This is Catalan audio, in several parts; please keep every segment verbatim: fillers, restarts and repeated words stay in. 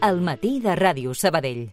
al matí de Ràdio Sabadell.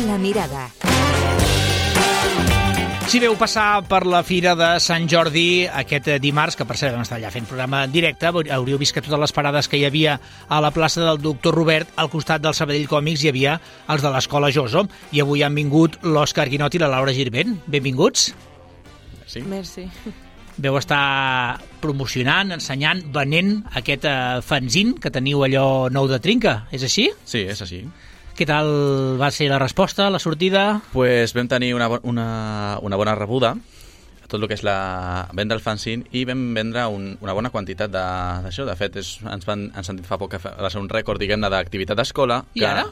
La mirada. Si veu passar per la Fira de Sant Jordi aquest dimarts, que per cert vam estar allà fent programa en directe, hauríeu vist que totes les parades que hi havia a la plaça del Doctor Robert, al costat del Sabadell Còmics, hi havia els de l'Escola Joso, i avui han vingut l'Òscar Guinot i la Laura Girvent. Benvinguts. Merci. Merci. Veu estar promocionant, ensenyant, venent aquest uh, fanzine que teniu allò nou de trinca, és així? Sí, és així. Què tal va ser la resposta, la sortida? Pues vam tenir una, una, una bona rebuda a tot el que és la venda del fanzine i vam vendre un, una bona quantitat d'això. De, de fet, és, ens, van, ens han dit fa poc que va ser un rècord, diguem-ne, d'activitat d'escola. I que, ara?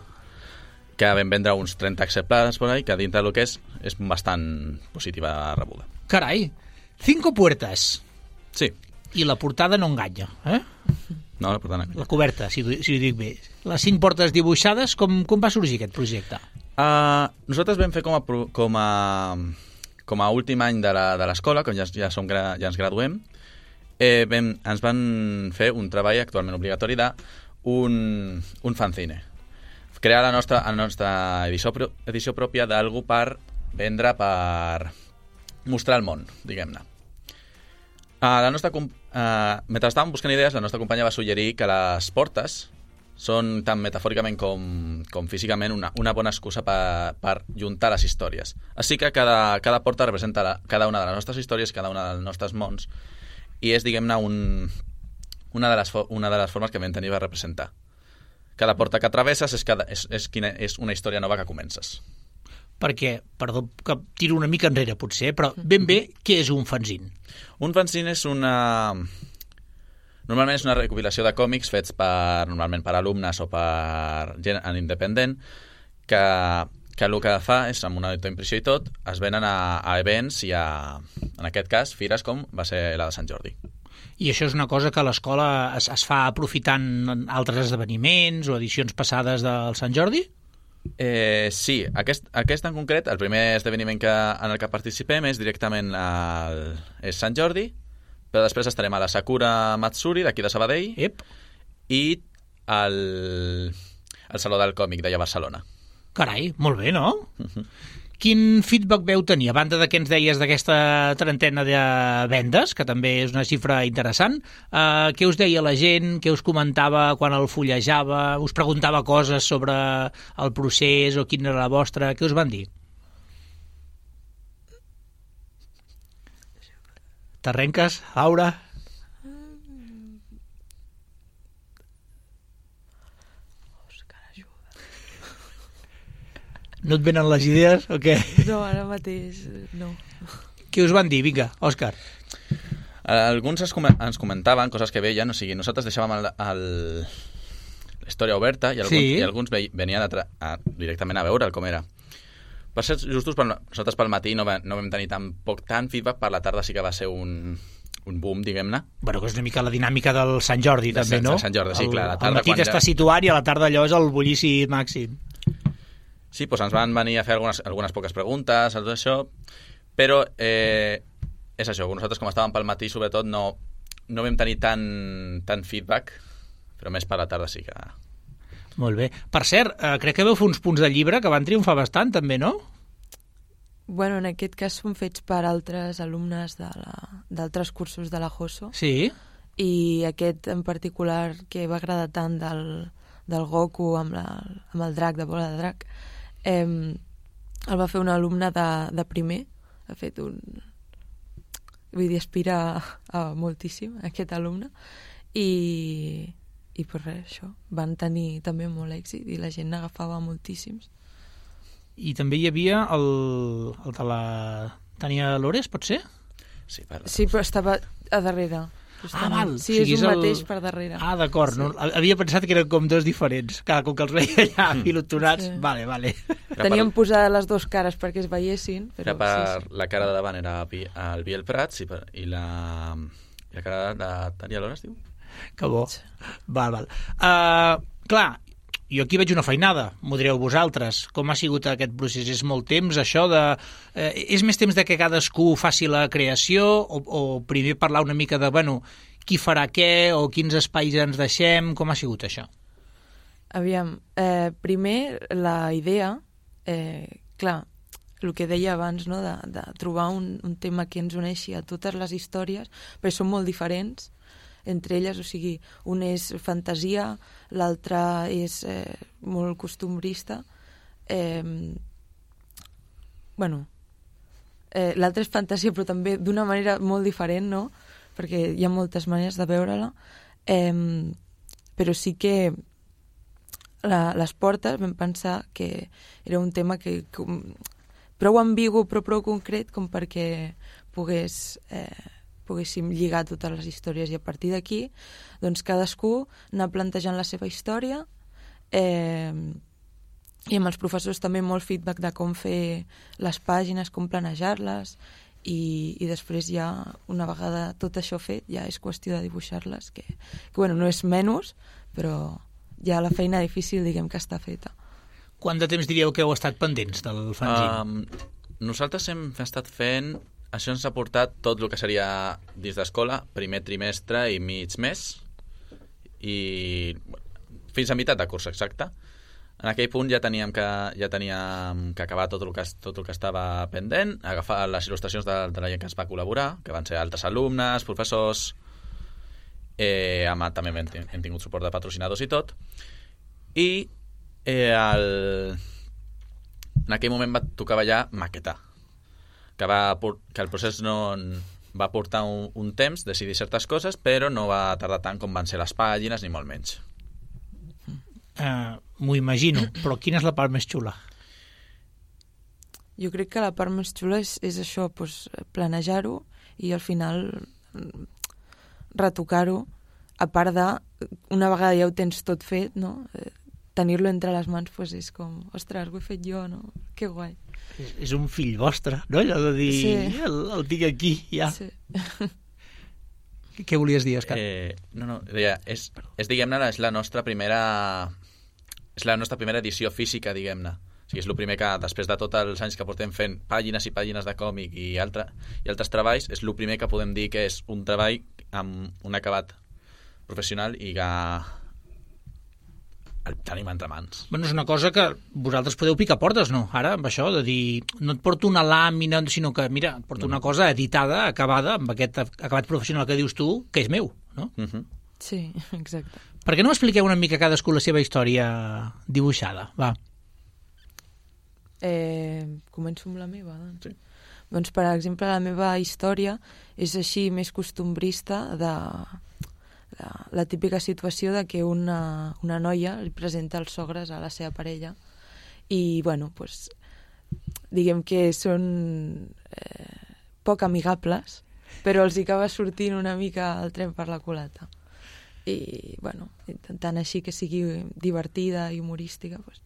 Que vam vendre uns trenta exemplars per ahí, que dintre del que és, és bastant positiva la rebuda. Carai, cinco puertas. Sí. I la portada no enganya, eh? No, la portada no. La coberta, si, si ho dic bé. Les cinc portes dibuixades, com, com va sorgir aquest projecte? Uh, nosaltres vam fer com a, com a, com a últim any de l'escola, quan ja, ja, som, ja ens graduem, eh, vam, ens van fer un treball actualment obligatori d'un un fanzine. Crear la nostra, la nostra edició, edició pròpia d'algú per vendre, per mostrar el món, diguem-ne. Uh, la nostra, uh, mentre estàvem buscant idees, la nostra companya va suggerir que les portes són tant metafòricament com, com físicament una, una bona excusa per, per juntar les històries. Així que cada, cada porta representa la, cada una de les nostres històries, cada una dels nostres mons, i és, diguem-ne, un, una, de les, una de les formes que vam tenir per representar. Cada porta que travesses és, cada, és, és, quina, és una història nova que comences. Perquè, perdó, que tiro una mica enrere potser, però ben bé, què és un fanzine? Un fanzine és una... Normalment és una recopilació de còmics fets per, normalment per alumnes o per gent en independent, que, que el que fa és, amb una autoimpressió i tot, es venen a, a events i a, en aquest cas, fires com va ser la de Sant Jordi. I això és una cosa que a l'escola es, es fa aprofitant altres esdeveniments o edicions passades del Sant Jordi? Eh, sí, aquest, aquest en concret, el primer esdeveniment que, en el que participem és directament al, és Sant Jordi, però després estarem a la Sakura Matsuri d'aquí de Sabadell. Ep. I al, al Saló del Còmic d'allà a Barcelona. Carai, molt bé, no? Uh-huh. Quin feedback veu tenir, a banda de què ens deies d'aquesta trentena de vendes, que també és una xifra interessant? Uh, què us deia la gent? Què us comentava quan el fullejava? Us preguntava coses sobre el procés o quina era la vostra? Què us van dir? T'arrenques, Laura? Òscar, ajuda. No et venen les idees o què? No, ara mateix no. Què us van dir? Vinga, Òscar. Alguns ens, com ens comentaven coses que veien, o sigui, nosaltres deixàvem el, el, la història oberta i alguns, sí. i alguns ve, venien a tra a, directament a veure com era. Per ser justos, per, nosaltres pel matí no, va, no vam tenir tan poc tant feedback, per la tarda sí que va ser un, un boom, diguem-ne. Bueno, que és una mica la dinàmica del Sant Jordi, de també, no? Sant Jordi, sí, clar. La tarda, al matí t'està ja... situat i a la tarda allò és el bullici màxim. Sí, doncs ens van venir a fer algunes, algunes poques preguntes, tot això, però eh, és això, nosaltres com estàvem pel matí, sobretot, no, no vam tenir tant, tant feedback, però més per la tarda sí que... Molt bé. Per cert, eh, crec que veu fer uns punts de llibre que van triomfar bastant, també, no? Bueno, en aquest cas són fets per altres alumnes d'altres cursos de la Joso. Sí. I aquest en particular que va agradar tant del, del Goku amb, la, amb el drac, de bola de drac, eh, el va fer un alumne de, de primer. Ha fet un... Vull dir, aspira a, a moltíssim, aquest alumne. I... I per res, això, van tenir també molt èxit i la gent n'agafava moltíssims. I també hi havia el, el de la Tània Lores, pot ser? Sí, per... sí, però estava a darrere. Ah, val. Sí, o sigui, és un el... mateix per darrere. Ah, d'acord. Sí. No? Havia pensat que eren com dos diferents. Clar, com que els veia allà mm. pilotonats. Sí. Vale, vale. Teníem per... posades les dues cares perquè es veiessin. Però era per sí, sí. La cara de davant era el Biel Prats i, per... I, la... I la cara de Tània Lores, diu? Que bo. Val, val. Uh, clar, jo aquí veig una feinada, m'ho direu vosaltres. Com ha sigut aquest procés? És molt temps, això de... Eh, és més temps de que cadascú faci la creació o, o primer parlar una mica de, bueno, qui farà què o quins espais ens deixem? Com ha sigut això? Aviam, eh, primer la idea, eh, clar, el que deia abans, no? de, de trobar un, un tema que ens uneixi a totes les històries, perquè són molt diferents entre elles, o sigui, un és fantasia, l'altre és eh, molt costumbrista. Eh, bueno, eh, l'altre és fantasia, però també d'una manera molt diferent, no? Perquè hi ha moltes maneres de veure-la. Eh, però sí que la, les portes vam pensar que era un tema que, que prou ambigu però prou concret com perquè pogués, eh, poguéssim lligar totes les històries i a partir d'aquí doncs cadascú anar plantejant la seva història eh, i amb els professors també molt feedback de com fer les pàgines, com planejar-les i, i després ja una vegada tot això fet ja és qüestió de dibuixar-les que, que bueno, no és menys però ja la feina difícil diguem que està feta. Quant de temps diríeu que heu estat pendents del fanzine? Um, nosaltres hem estat fent... Això ens ha portat tot el que seria dins d'escola, primer trimestre i mig mes, i fins a meitat de curs, exacte. En aquell punt ja teníem que, ja teníem que acabar tot el que, tot el que estava pendent, agafar les il·lustracions de, de la gent que ens va col·laborar, que van ser altres alumnes, professors, eh, amb, també hem, hem tingut suport de patrocinadors i tot, i eh, el... en aquell moment va tocar ja maquetar, que, va, que el procés no va portar un, un temps, decidir certes coses, però no va tardar tant com van ser les pàgines, ni molt menys. Uh, M'ho imagino, però quina és la part més xula? Jo crec que la part més xula és, és això, doncs, planejar-ho i al final retocar-ho, a part de, una vegada ja ho tens tot fet, no? Eh, tenir-lo entre les mans pues, és com, ostres, ho he fet jo, no? Que guai. És, és un fill vostre, no? Allò de dir, sí. el, el tinc aquí, ja. Sí. Què volies dir, Òscar? Eh, no, no, deia, és, és diguem-ne, és la nostra primera és la nostra primera edició física, diguem-ne. O sigui, és el primer que, després de tots els anys que portem fent pàgines i pàgines de còmic i, altre, i altres treballs, és el primer que podem dir que és un treball amb un acabat professional i que el tenim entre mans. Bueno, és una cosa que vosaltres podeu picar portes, no? Ara, amb això, de dir, no et porto una làmina, sinó que, mira, et porto no. una cosa editada, acabada, amb aquest acabat professional que dius tu, que és meu, no? Uh -huh. Sí, exacte. Per què no m'expliqueu una mica cadascú la seva història dibuixada? Va. Eh, començo amb la meva, doncs. Sí. Doncs, per exemple, la meva història és així més costumbrista de... La, la típica situació de que una, una noia li presenta els sogres a la seva parella i, bueno, pues, diguem que són eh, poc amigables, però els hi acaba sortint una mica el tren per la culata. I, bueno, intentant així que sigui divertida i humorística, pues,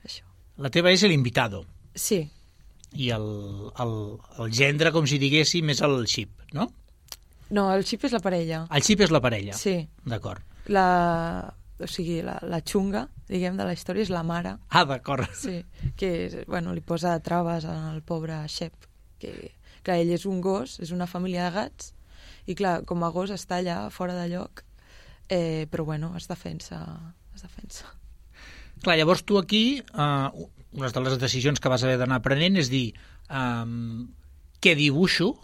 això. La teva és l'invitado. Sí. I el, el, el gendre, com si diguéssim, és el xip, no? No, el xip és la parella. El xip és la parella? Sí. D'acord. La, o sigui, la, la xunga, diguem, de la història és la mare. Ah, d'acord. Sí, que, bueno, li posa traves al pobre Shep, que, clar, ell és un gos, és una família de gats, i, clar, com a gos està allà, fora de lloc, eh, però, bueno, es defensa, es defensa. Clar, llavors tu aquí, eh, una de les decisions que vas haver d'anar aprenent és dir, eh, què dibuixo?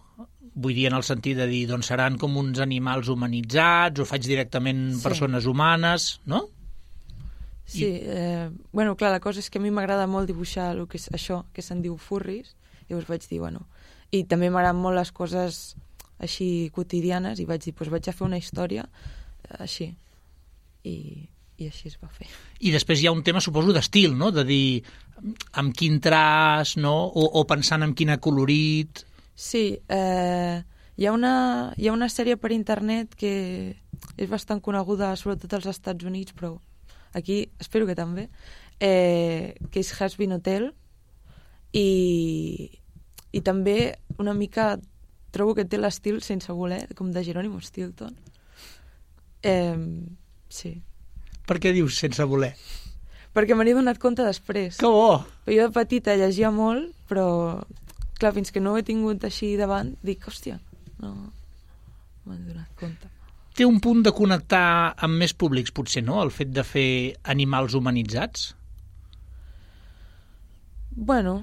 Vull dir, en el sentit de dir, doncs seran com uns animals humanitzats, o faig directament sí. persones humanes, no? Sí, I... eh, bueno, clar, la cosa és que a mi m'agrada molt dibuixar el que és això, que se'n diu furris, i llavors vaig dir, bueno, i també m'agraden molt les coses així quotidianes, i vaig dir, doncs vaig a fer una història així, i, i així es va fer. I després hi ha un tema, suposo, d'estil, no? De dir, amb quin traç, no? O, o pensant en quin acolorit... Sí, eh, hi, ha una, hi ha una sèrie per internet que és bastant coneguda, sobretot als Estats Units, però aquí espero que també, eh, que és Hazbin Hotel, i, i també una mica trobo que té l'estil sense voler, com de Jerónimo Stilton. Eh, sí. Per què dius sense voler? Perquè me n'he donat compte després. Que bo! Jo de petita llegia molt, però clar, fins que no ho he tingut així davant, dic, hòstia, no m'he donat compte. Té un punt de connectar amb més públics, potser, no?, el fet de fer animals humanitzats? Bueno,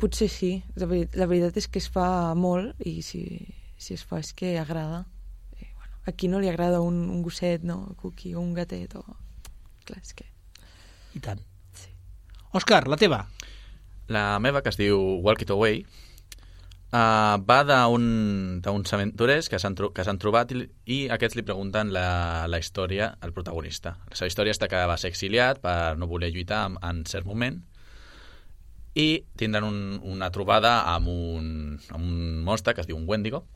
potser sí. La, ver la veritat és que es fa molt i si, si es fa és que agrada. I, bueno, a qui no li agrada un, un gosset, no? Un cuqui o un gatet o... Clar, és que... I tant. Sí. Òscar, la teva? La meva, que es diu Walk It Away, uh, va d'uns aventurers que s'han tro trobat i, i aquests li pregunten la, la història al protagonista. La seva història està que va ser exiliat per no voler lluitar en, en cert moment i tindran un, una trobada amb un, amb un monstre que es diu un Wendigo,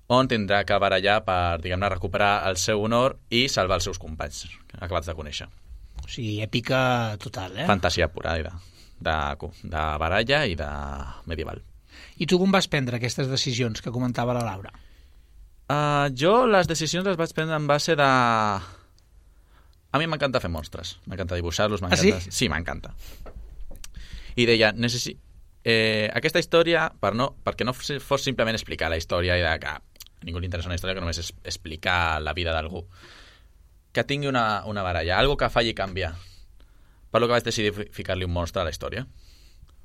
on tindrà que barallar per, diguem-ne, recuperar el seu honor i salvar els seus companys acabats de conèixer. O sigui, èpica total, eh? Fantasia pura, de, de, de baralla i de medieval. I tu com vas prendre aquestes decisions que comentava la Laura? Uh, jo les decisions les vaig prendre en base de... A mi m'encanta fer monstres, m'encanta dibuixar-los, ah, sí? Sí, m'encanta. I deia, necessi... eh, aquesta història, per no, perquè no fos simplement explicar la història i de que a ningú li interessa una història que només és explicar la vida d'algú, que tingui una, una baralla, algo que falli canviar. Per lo que vaig decidir ficar-li un monstre a la història.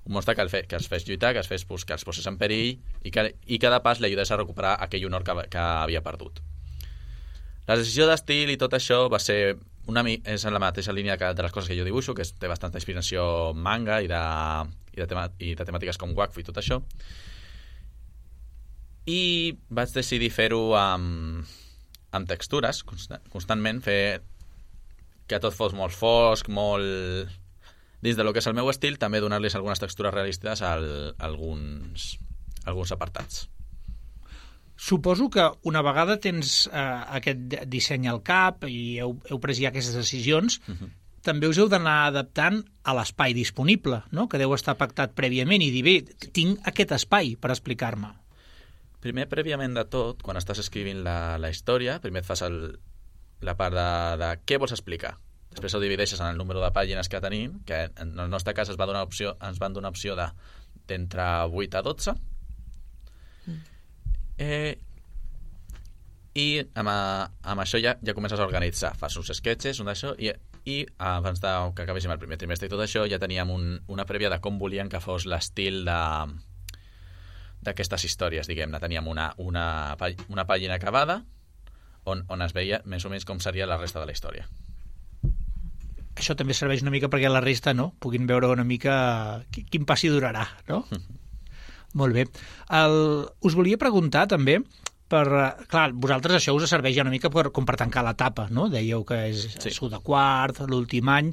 Un monstre que, el fe, que els fes lluitar, que els, fes, que els posés en perill i que, i que de pas li ajudés a recuperar aquell honor que, que havia perdut. La decisió d'estil i tot això va ser una, és en la mateixa línia que de les coses que jo dibuixo, que té bastanta inspiració manga i de, i de, tema, i de temàtiques com Wakfu i tot això. I vaig decidir fer-ho amb, amb textures, constantment, fer que tot fos molt fosc, molt... Dins de lo que és el meu estil, també donar-los algunes textures realistes a alguns, alguns apartats. Suposo que una vegada tens eh, aquest disseny al cap i heu, heu pres ja aquestes decisions, uh-huh. també us heu d'anar adaptant a l'espai disponible, no?, que deu estar pactat prèviament i dir, bé, tinc aquest espai per explicar-me. Primer, prèviament de tot, quan estàs escrivint la, la història, primer et fas el, la part de, de què vols explicar. Després ho divideixes en el número de pàgines que tenim, que en el nostre cas es va donar opció, ens van donar opció d'entre vuit a dotze. Mm. Eh, I amb, amb això ja, ja comences a organitzar. Fas uns sketches, un d'això, i, i abans de, que acabéssim el primer trimestre i tot això, ja teníem un, una prèvia de com volien que fos l'estil de d'aquestes històries, diguem-ne. Teníem una, una, una pàgina acabada on, on es veia més o menys com seria la resta de la història. Això també serveix una mica perquè la resta, no?, puguin veure una mica quin passi durarà, no? Molt bé. El, us volia preguntar també, per, clar, vosaltres això us serveix ja una mica per, com per tancar l'etapa, no? Dèieu que és sí. Sou de quart, l'últim any.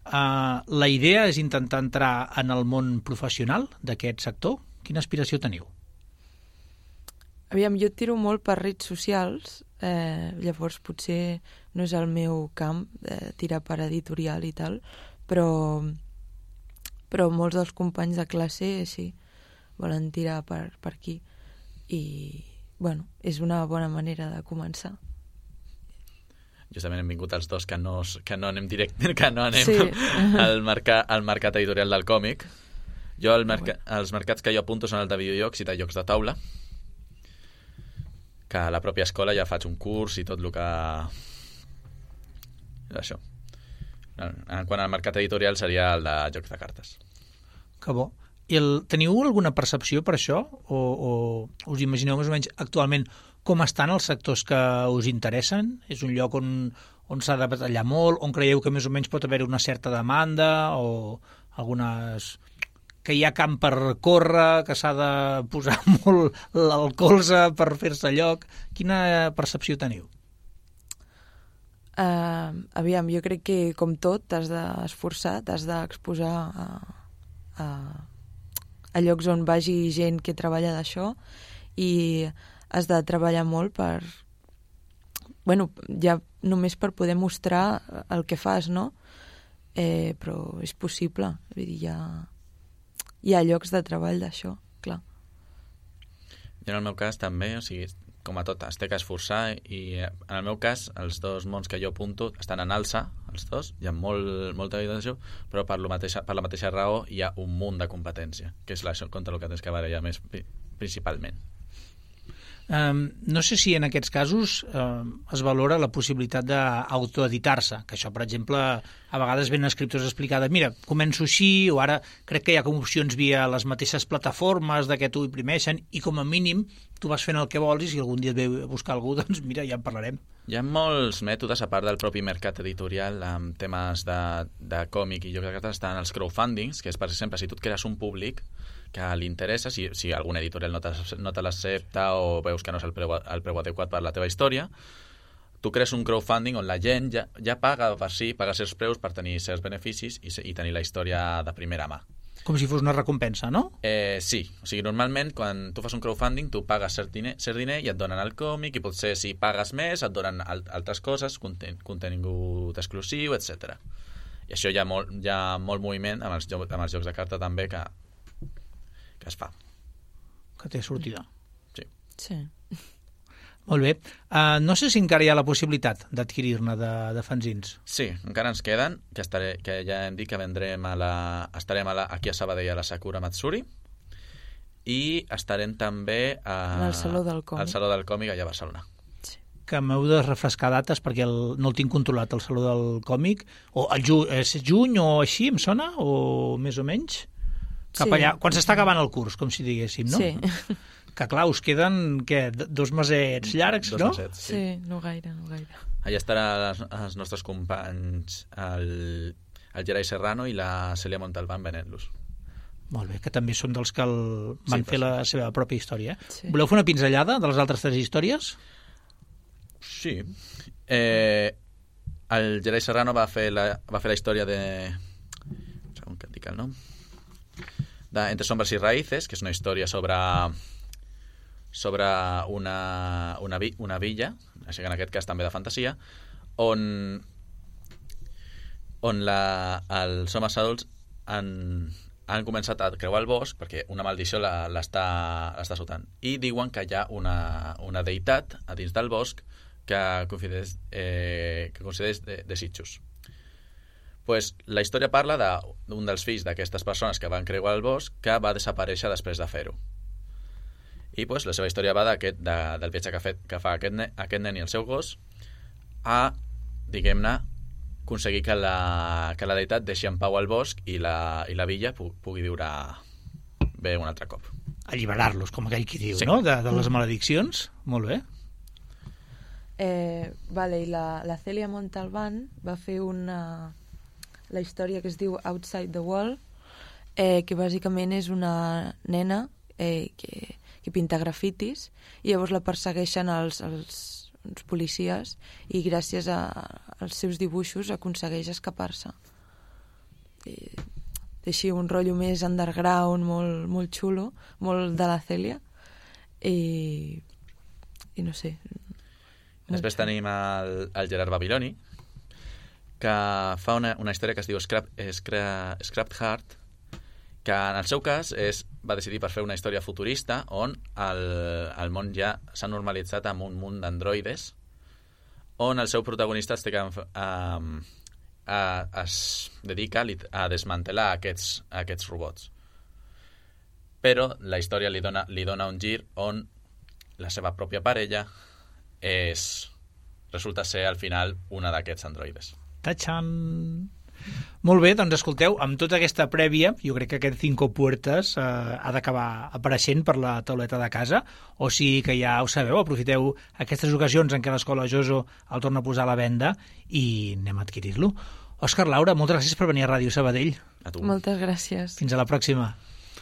Uh, la idea és intentar entrar en el món professional d'aquest sector? Quina aspiració teniu? Aviam, jo tiro molt per redes socials, eh, llavors potser no és el meu camp, eh, tirar per editorial i tal, però, però molts dels companys de classe sí, volen tirar per, per aquí. I, bueno, és una bona manera de començar. Justament hem vingut els dos que no, que no anem directe, que no anem sí. al, mercat, al mercat editorial del còmic. Jo, el merca, els mercats que jo apunto són el de videojocs i de jocs de taula, que a la pròpia escola ja faig un curs i tot el que... Això. Quan al mercat editorial seria el de jocs de cartes. Que bo. I el, teniu alguna percepció per això? O, o us imagineu més o menys actualment com estan els sectors que us interessen? És un lloc on, on s'ha de batallar molt? On creieu que més o menys pot haver una certa demanda? O algunes... que hi ha camp per córrer, que s'ha de posar molt el colze per fer-se lloc. Quina percepció teniu? Uh, aviam, jo crec que com tot t'has d'esforçar, t'has d'exposar a, a, a llocs on vagi gent que treballa d'això i has de treballar molt per... Bueno, ja només per poder mostrar el que fas, no? Eh, però és possible. Vull dir, ja... Hi ha llocs de treball d'això, clar. I en el meu cas també, o sigui, com a tot, es té que esforçar i en el meu cas, els dos mons que jo apunto estan en alça, els dos, hi ha molt, molta evidència, però per, lo mateixa, per la mateixa raó hi ha un munt de competència, que és la, contra el que tens que barallar més principalment. Um, no sé si en aquests casos um, es valora la possibilitat d'autoeditar-se, que això, per exemple, a vegades ven escriptors explicades, mira, començo així, o ara crec que hi ha com opcions via les mateixes plataformes de què t'ho imprimeixen, i com a mínim tu vas fent el que vols i si algun dia et ve a buscar algú, doncs mira, ja en parlarem. Hi ha molts mètodes, a part del propi mercat editorial, amb temes de, de còmic i jocs de cartes, estan els crowdfundings, que és, per exemple, si tu et crees un públic que li interessa, si, si algun editorial no te, no te l'accepta o veus que no és el preu, el preu adequat per la teva història, tu crees un crowdfunding on la gent ja, ja paga per si, paga certs preus per tenir certs beneficis i, i tenir la història de primera mà. Com si fos una recompensa, no? Eh, sí, o sigui, normalment quan tu fas un crowdfunding tu pagues cert diner, cert diner i et donen el còmic i potser si pagues més et donen al, altres coses, conten, contingut exclusiu, etcètera. I això hi ha molt, hi ha molt moviment amb els, amb els jocs de carta també que que es fa. Que té sortida. Sí. Sí. Molt bé. Uh, no sé si encara hi ha la possibilitat d'adquirir-ne de, de fanzins. Sí, encara ens queden, que, estaré, que ja hem dit que vendrem a la, estarem a la, aquí a Sabadell a la Sakura Matsuri i estarem també a, al Saló del Còmic. al Saló del Còmic allà a Barcelona. Sí. Que m'heu de refrescar dates perquè el, no el tinc controlat, el Saló del Còmic. O el ju, és juny o així, em sona? O més o menys? Cap sí. allà, quan s'està acabant el curs, com si diguéssim, no? Sí. Que clar, us queden què, dos mesets llargs, dos no? Mesets, sí. sí, no gaire, no gaire. Allà estaran els, els nostres companys, el, el Gerai Serrano i la Cèlia Montalbán venent-los. Molt bé, que també són dels que el, van sí, fer la seva pròpia història. Sí. Voleu fer una pinzellada de les altres tres històries? Sí. Eh, el Gerai Serrano va fer la, va fer la història de... Un segon que et dic el nom. De Entre sombras y raíces, que és una història sobre sobre una, una, vi, una villa, així que en aquest cas també de fantasia, on on la, els homes adults han, han començat a creuar el bosc perquè una maldició l'està sotant. I diuen que hi ha una, una deïtat a dins del bosc que concedeix, eh, que concedeix de, desitjos. Pues, la història parla d'un dels fills d'aquestes persones que van creuar el bosc que va desaparèixer després de fer-ho. I pues, la seva història va de, del viatge que, fet, que fa aquest, ne, aquest nen i el seu gos a, diguem-ne, aconseguir que la, que la deïtat deixi en pau el bosc i la, i la villa pu, pugui viure bé un altre cop. Alliberar-los, com aquell qui diu, sí. no? De, de les malediccions. Molt bé. Eh, vale, i la, la Cèlia Montalbán va fer una... la història que es diu Outside the Wall, eh, que bàsicament és una nena eh, que, que pinta grafitis i llavors la persegueixen els, els, els policies i gràcies a, als seus dibuixos aconsegueix escapar-se. Té així un rotllo més underground, molt, molt xulo, molt de la Cèlia i, i no sé. Després tenim el, el Gerard Babiloni, que fa una, una història que es diu Scrap, Scrap, Scrapped Heart, que en el seu cas és, va decidir per fer una història futurista on el, el món ja s'ha normalitzat amb un munt d'androides, on el seu protagonista es, té que, um, a, es dedica a desmantelar aquests, aquests robots. Però la història li dona, li dona un gir on la seva pròpia parella és, resulta ser al final una d'aquests androides. Tachan! Molt bé, doncs escolteu, amb tota aquesta prèvia, jo crec que aquest Cinco Puertas eh, ha d'acabar apareixent per la tauleta de casa, o sigui que ja ho sabeu, aprofiteu aquestes ocasions en què l'Escola Joso el torna a posar a la venda i anem a adquirir-lo. Òscar, Laura, moltes gràcies per venir a Ràdio Sabadell. A tu. Moltes gràcies. Fins a la pròxima.